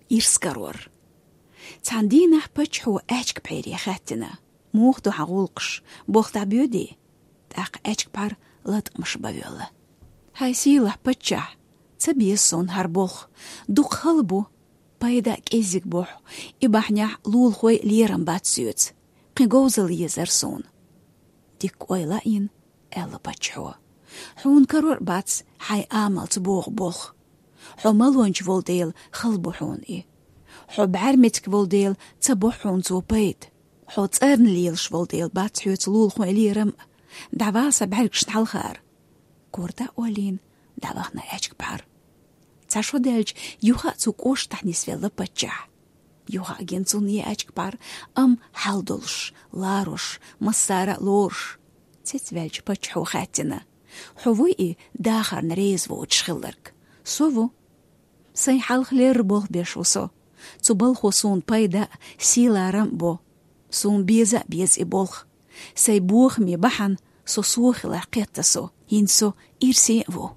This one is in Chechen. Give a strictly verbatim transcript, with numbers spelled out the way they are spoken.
Ирс карор. Цхьан дийнахь паччахьо аьчка пхьере хаьттина: «Муха ду хьан гӀуллакхаш? Болх дӀабоьдий?» ТӀаккха аьчка пхьар латкъамаш бан воьлла. «Хьай сийлахь паччахь, ца беза суна хӀара болх. Дукха хала бу, пайда а кӀеззиг бу хьа, и бахьанехь лулахой лерам бац соьца. Кхин говзалла езар суна». Дикка ойла а йина, аьлла паччахьо: «Хьуна карор а бац хьайн амалца богӀу болх. Хьо малонча волу дела хала бу хьуна и. Хьо бӀаьрмециг волу дела ца бо хьуна цо пайда. Хьо цӀарна лелаш волу дела бац хьоьца лулахой лерам а. ДӀавала сан бӀаьргашна хьалхара». Корта а олийна, дӀавахана аьчка пхьар. Цхьа шо даьлча, юха а цу кӀоштахь нисвелла паччахь. Юха а гина цунна и аьчка пхьар, амма хьал долуш, ларош, массара а лоруш. Цецваьлча паччахьо хаьттина: «Хьо вуй и дахарна реза воцуш хилларг?» «Со ву». «Сайн хьалха лерра болх беш ву со. Цу балхо суна пайда а, сий-ларам а бо. Суна беза а беза и болх. Сайн бохаме бахьана со сов хиларх кхетта со. ХӀинца со ирсе а ву».